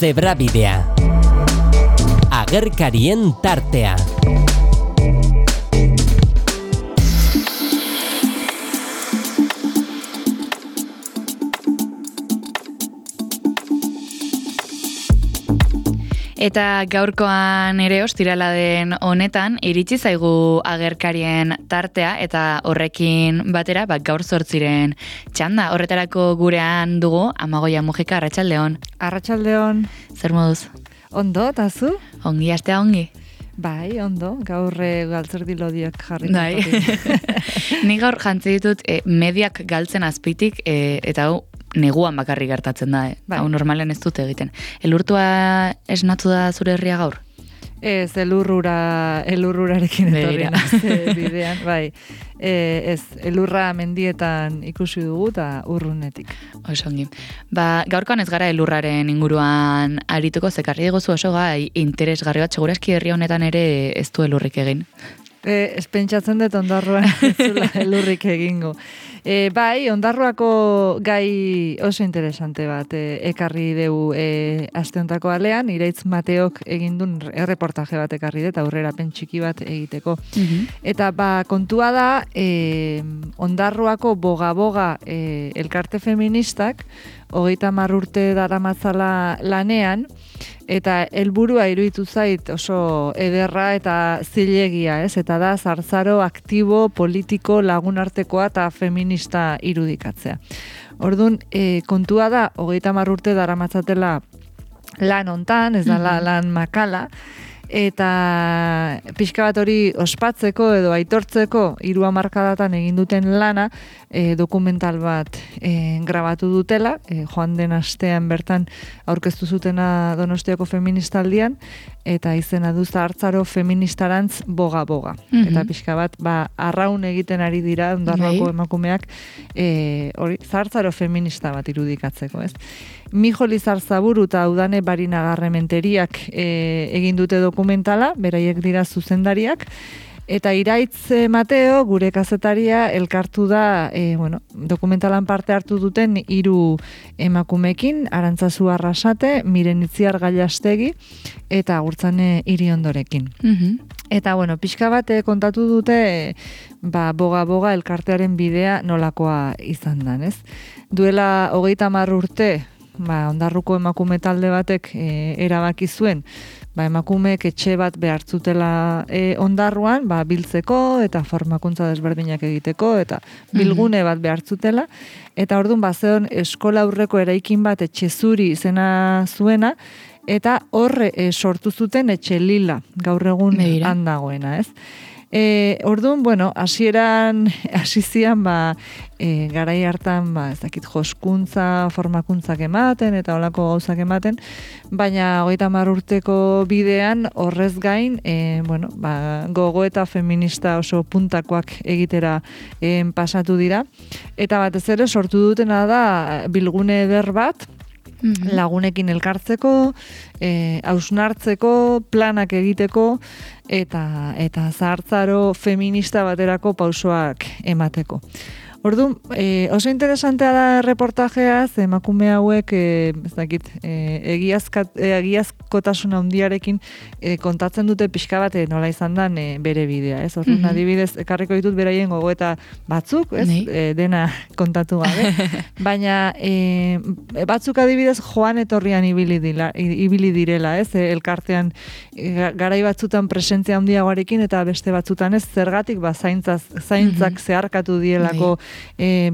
Zebrabidea. Agerkarien tartea. Eta gaurkoan ere ostirala den honetan iritsi zaigu agerkarien tartea eta horrekin batera gaur 8 txanda. Horretarako gurean dugu Amagoia Mujika, arratsaldeon. Arratsaldeon. Zer moduz? Ondo, eta zu? Ongi, astea ongi. Bai, ondo, gaur galtzerdi lodiak jarri. Bai. Ni gaur jantzi ditut mediak galtzen azpitik eta hau neguan bakarrik gertatzen da. Bai. Hau normalen ez dute egiten. Elurtua esnatu da zure herria gaur? Ez, elurrurarekin etorri naz bidean, bai. Ez, elurra mendietan ikusi dugu eta urrunetik. Osongi. Gaurkoan ez gara elurraren inguruan arituko, zekarri diguzu oso gai interesgarri bat, segurazki herri honetan ere ez du elurrik egin. Ez pentsatzen dut Ondarroan ez zula elurrik egingo. Bai, Ondarroako gai oso interesante bat ekarri dugu aste hontako alean, Iraitz Mateok egindun erreportaje bat ekarri dut, aurrerapen txiki bat egiteko. Eta kontua da, Ondarroako boga-boga elkarte feministak, 30 urte daramatzala lanean, eta helburua iruditu zait oso ederra eta zilegia, ez? Eta da zarzaro aktibo, politiko, lagunartekoa eta feminista irudikatzea. Orduan, kontua da, 30 urte daramatzatela lan hontan, ez da lan makala, eta pixka bat hori ospatzeko edo aitortzeko 3 hamarkadatan egin duten lana dokumental bat grabatu dutela, joan den astean bertan aurkeztu zutena Donostiako feministaldian, eta izena du Zahartzaro feministarantz boga-boga. Eta pixka bat, arraun egiten ari dira Ondarroako emakumeak hori Zahartzaro feminista bat irudikatzeko, ez? Mijo Lizarzaburu eta Udane Barinagarrementeriak egin dute dokumentala, beraiek dira zuzendariak, eta Iraitz Mateo, gure kazetaria, elkartu da dokumentalan parte hartu duten 3 emakumekin, Arantzazu Arrasate, Miren Itziar Gailastegi, eta Gurtzane Iriondorekin. Eta, pixka bat kontatu dute boga-boga elkartearen bidea nolakoa izan dan, ez? Duela 30 urte, Ondarruko emakume talde batek erabaki zuen, emakumeek etxe bat behartzutela Ondarruan, biltzeko eta formakuntza desberdinak egiteko, eta bilgune bat behartzutela, eta orduan bazeon eskola aurreko eraikin bat etxe zuri izena zuena, eta horre sortu zuten etxe lila, gaur egun handagoena, ez? Orduan, hasieran hasi zian, garai hartan, ez dakit, joskuntza, formakuntzak ematen, eta holako gauzak ematen, baina 30 urteko bidean, horrez gain, gogo eta feminista oso puntakoak egitera pasatu dira, eta batez ere sortu dutena da bilgune eder bat, lagunekin elkartzeko, hausnartzeko, planak egiteko, eta zahartzaro feminista baterako pausoak emateko. Orduan, oso interesantea da reportajea, emakume hauek, ez dakit, egiazkotasun handiarekin kontatzen dute pixka bat nola izan dan bere bidea, ez? Orduan, adibidez, ekarriko ditut beraien gogoeta batzuk, ez? Dena kontatu gabe. Baina, batzuk adibidez joan etorrian ibili direla, ez? Elkartean, garai batzutan presentzia handiagoarekin eta beste batzutan ez, zergatik zaintzak zeharkatu dielako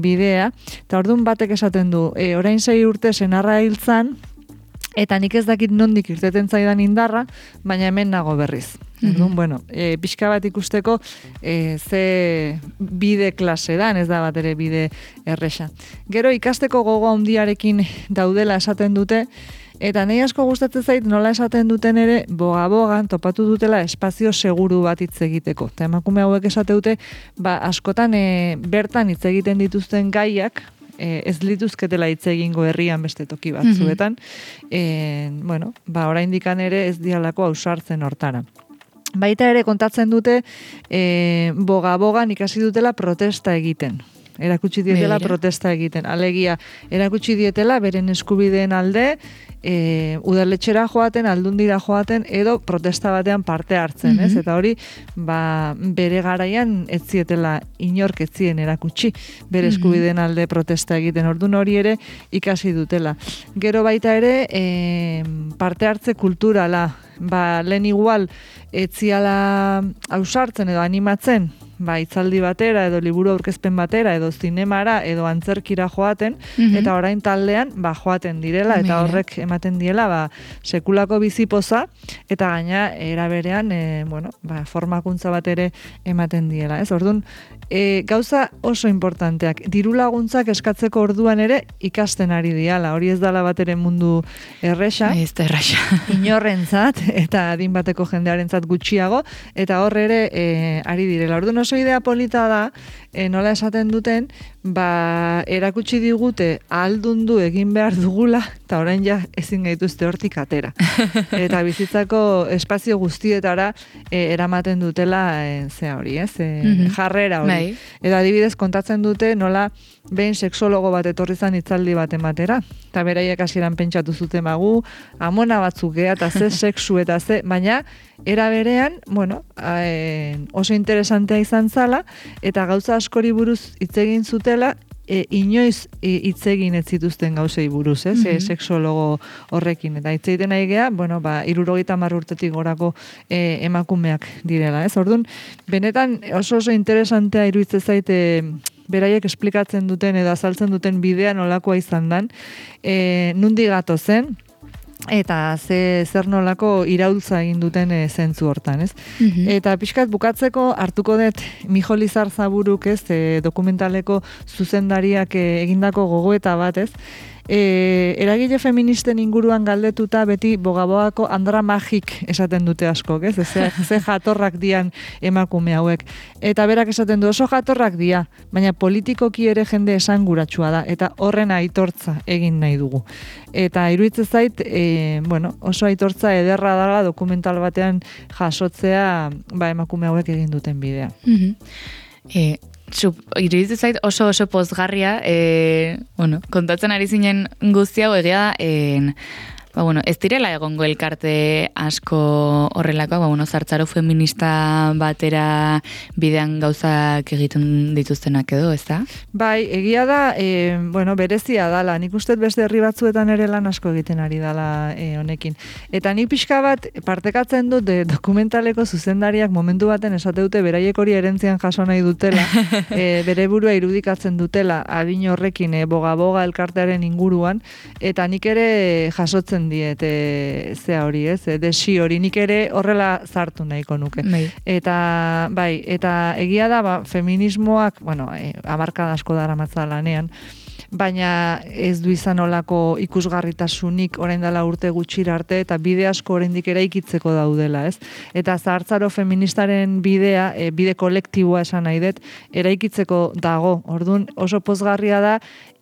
bidea, eta orduan batek esaten du, orain 6 urte senarra hiltzan, eta nik ez dakit nondik irteten zaidan indarra, baina hemen nago berriz. Orduan, pixka bat ikusteko ze bide klase dan, ez da bat ere bide erresa. Gero ikasteko gogo handiarekin daudela esaten dute, eta nahi asko gustatzen zait nola esaten duten ere boga-bogan topatu dutela espazio seguru bat hitz egiteko. Eta emakume hauek esate dute, askotan bertan hitz egiten dituzten gaiak, ez lituzketela hitz egingo herrian beste toki batzuetan, oraindikan ere ez dialako ausartzen hortara. Baita ere kontatzen dute boga-bogan ikasi dutela protesta egiten. erakutsi dietela Begira. protesta egiten. Alegia, erakutsi dietela beren eskubideen alde, udaletxera joaten, aldundira joaten, edo protesta batean parte hartzen, ez? Eta hori, bere garaian ez zietela inork ez zien erakutsi bere eskubideen alde protesta egiten. Ordun hori ere ikasi dutela. Gero baita ere, parte hartze kulturala, lehen igual etziala ausartzen edo animatzen, hitzaldi batera edo liburu aurkezpen batera edo zinemara edo antzerkira joaten, eta orain taldean joaten direla eta horrek ematen diela sekulako bizipoza eta gaina era berean formakuntza bat ere ematen diela, ez? Orduan, gauza oso importanteak, diru laguntzak eskatzeko orduan ere ikasten ari diala, hori ez dala bat ere mundu erresa. Ez da erresa. Inorrentzat eta adin bateko jendearentzat gutxiago, eta hor ere ari direla. Orduan oso idea polita da, nola esaten duten, erakutsi digute ahaldundu egin behar dugula, eta orain ja ezin gaituzte hortik atera. Eta bizitzako espazio guztietara eramaten dutela hori, ez? Jarrera hori. Eta adibidez kontatzen dute nola behin sexologo bat etorri zan hitzaldi bat ematera, eta beraiek hasieran pentsatu zuten amona batzuk gea, eta ze sexu eta ze, baina era berean, oso interesantea izan zala, eta gauza askori buruz hitz egin zutela, inoiz hitz egin ez zituzten gauzei buruz, ez? Sexologo horrekin. Eta hitz egiten nahi gea, 70 urtetik gorako emakumeak direla, ez? Orduan, benetan oso interesantea iruditzen zaite beraiek esplikatzen duten edo azaltzen duten bidea nolakoa izan dan, nundi gato zen, eta zer nolako iraultza egin duten zentzu hortan, ez? Eta pixkat bukatzeko hartuko dut Mijo Lizarzaburuk, ez, dokumentaleko zuzendariak egindako gogoeta bat, ez? Eragile feministen inguruan galdetuta beti bogaboako andra magik esaten dute askok, ez? Ze jatorrak dian emakume hauek. Eta berak esaten du oso jatorrak dia, baina politikoki ere jende esanguratsua da, eta horren aitortza egin nahi dugu. Eta iruditzen zait, oso aitortza ederra dela dokumental batean jasotzea emakume hauek egin duten bidea. Iruditzen zait oso pozgarria, kontatzen ari zinen guzti hau egia ez direla egongo elkarte asko horrelakoak, zartzaro feminista batera bidean gauzak egiten dituztenak edo, ez da? Bai, egia da, berezia dala, nik uste beste herri batzuetan ere lan asko egiten ari dala honekin. Eta nik pixka bat partekatzen dut dokumentaleko zuzendariak momentu baten esate dute beraiek hori erentzian jaso nahi dutela, bere burua irudikatzen dutela adin horrekin boga elkartearen inguruan, eta nik ere jasotzen diet hori, ez? Desi hori, nik ere horrela zartu nahiko nuke. Eta egia da, feminismoak, hamarkada asko daramatza lanean, baina ez du izan olako ikusgarritasunik orain dela urte gutxira arte, eta bide asko oraindik eraikitzeko daudela, ez? Eta zahartzaro feministaren bidea, bide kolektiboa esan nahi dut, eraikitzeko dago. Orduan oso pozgarria da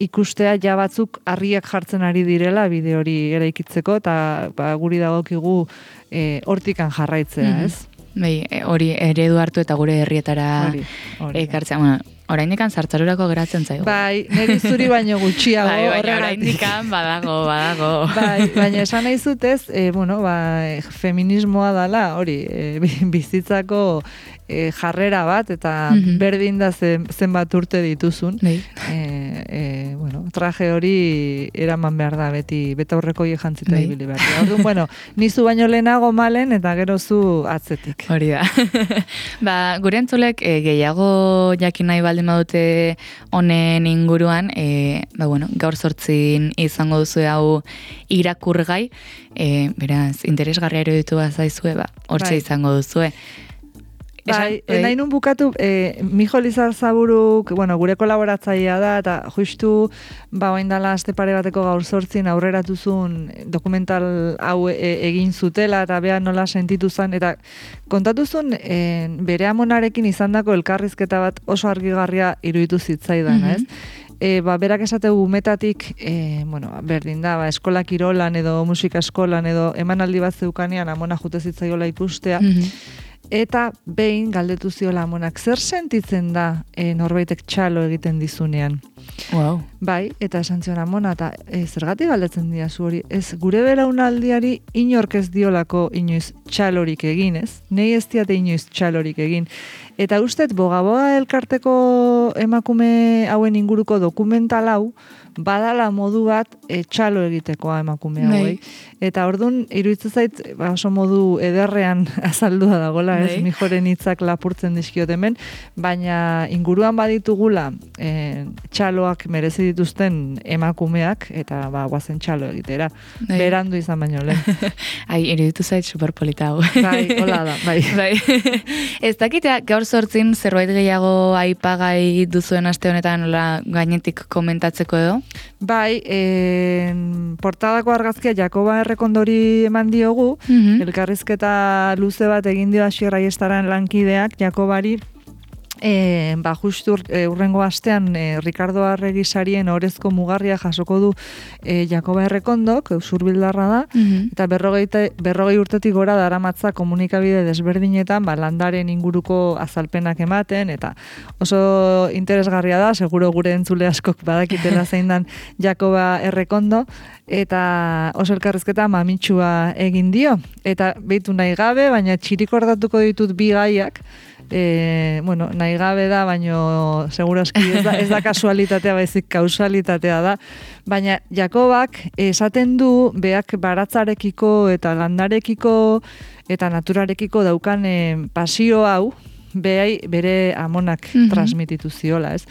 ikustea ja batzuk harriak jartzen ari direla bide hori eraikitzeko, eta guri dagokigu hortikan jarraitzea, ez? Hori eredu hartu eta gure herrietara ekartzea. Oraindikan zartzarurako geratzen zaigu. Bai, niri zuri baino gutxiago. Oraindikan badago. Baina esan nahi zutez, feminismoa dala, hori, bizitzako jarrera bat, eta berdin da zenbat urte dituzun. Traje hori eraman behar da, beti aurreko jantzita ibili behar da. Orduan, nizu baino lehenago malen, eta gero zu atzetik. Hori da. Gure entzulek gehiago jakin nahi baldin badute honen inguruan, gaur 8 izango duzu hau irakurgai, beraz, interesgarria eruditu bazaizue, hortxe izango duzue. Nahi nun bukatu, Mijo Lizarzaburuk, gure kolaboratzailea da, eta justu, oain dala aste pare bateko gaur 8 aurreratuzun dokumental hau egin zutela, eta beha nola sentitu zen, eta kontatuzun bere amonarekin izandako elkarrizketa bat oso argigarria iruditu zitzaidan, ez? Berak esate umetatik, berdin da, eskola kirolan edo musika eskolan edo emanaldi bat zeukanean amona jute zitzaiola ikustea, eta behin galdetu ziola amonak, zer sentitzen da norbaitek txalo egiten dizunean? Wow. Bai, eta esan zion amona, eta zergatik galdetzen dira zu hori, ez gure belaunaldiari inork ez diolako inoiz txalorik egin, ez? Nei ez diate inoiz txalorik egin. Eta ustet, boga elkarteko emakume hauen inguruko dokumental hau, badala modu bat txalo egitekoa emakume hauei. Eta ordun iruditzen zait oso modu ederrean azaldua dagola, ez? Mijoren hitzak lapurtzen dizkiot hemen, baina inguruan baditugula txaloak merezi dituzten emakumeak, eta guazen txalo egitera. Berandu izan baino lehen. Ai, iruditu zait superpolita hau. Bai, hola da, bai. Ez dakitea, gaur sortzin zerbait gehiago aipagai duzuen aste honetan gainetik komentatzeko edo? Bai, portadako argazkia Jakoba Errekondori eman diogu, elkarrizketa luze bat egin dio Asier Aiestaren lankideak Jakobari, justu urrengo astean Ricardo Arregi sarien orezko mugarria jasoko du Jakoba Errekondok, Usurbildarra da, eta 40 urtetik gora daramatza komunikabide desberdinetan landaren inguruko azalpenak ematen, eta oso interesgarria da, seguro gure entzule askok badakitela zein dan Jakoba Errekondo, eta oso elkarrizketa mamitsua egin dio, eta behitu nahi gabe, baina txirikordatuko ditut bi gaiak, nahi gabe da, baino segurazki ez da kasualitatea, baizik kausalitatea da, baina Jakobak esaten du beak baratzarekiko eta landarekiko eta naturarekiko daukan pasio hau, bere amonak transmititu ziola, ez?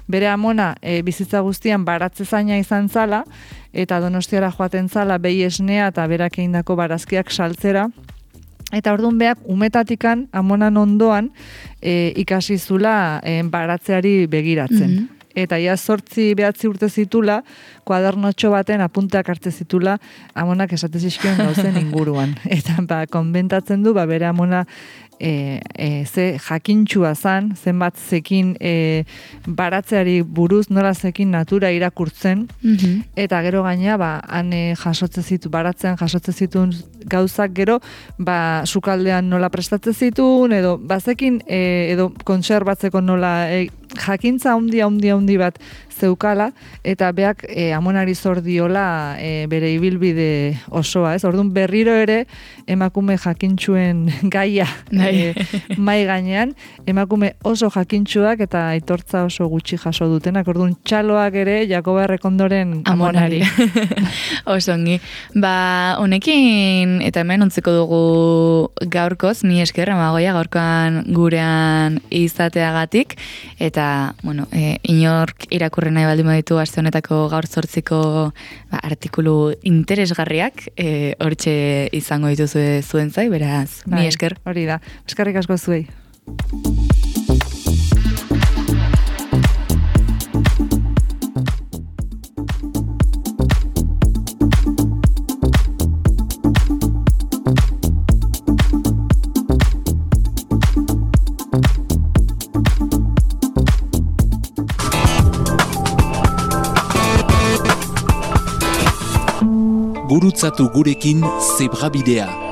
Bere amona bizitza guztian baratzezaina izan zala, eta Donostiara joaten zala behi esnea eta berak egindako barazkiak saltzera, eta orduan beak umetatikan amonan ondoan ikasi zula baratzeari begiratzen. Eta ia 8-9 urte zitula, kuadernotxo baten apunteak hartze zitula amonak esate zizkion gauzen inguruan. Eta konbentatzen du, bere amona ze jakintxua zan, zenbat zekin baratzeari buruz, nola zekin natura irakurtzen, eta gero gaina, han baratzean jasotze zituen gauzak gero, sukaldean nola prestatzen zituen, edo bazekin, edo kontserbatzeko nola jakintza handi bat zeukala, eta beak amonari zor diola bere ibilbide osoa, ez? Orduan berriro ere emakume jakintxuen gaia mai gainean, emakume oso jakintxuak eta aitortza oso gutxi jaso dutenak, orduan txaloak ere Jakoba Errekondoren amonari. Osongi. Honekin, eta hemen ontzeko dugu gaurkoz, mi esker, Amagoia, gaurkoan gurean izateagatik, eta, inork irakurri nahi baldin baditu aste honetako gaur 8ko artikulu interesgarriak, hortxe izango dituzu zuen zai, beraz, mi esker. Hori da, eskerrik asko zuei. Gurutzatu gurekin Zebrabidea.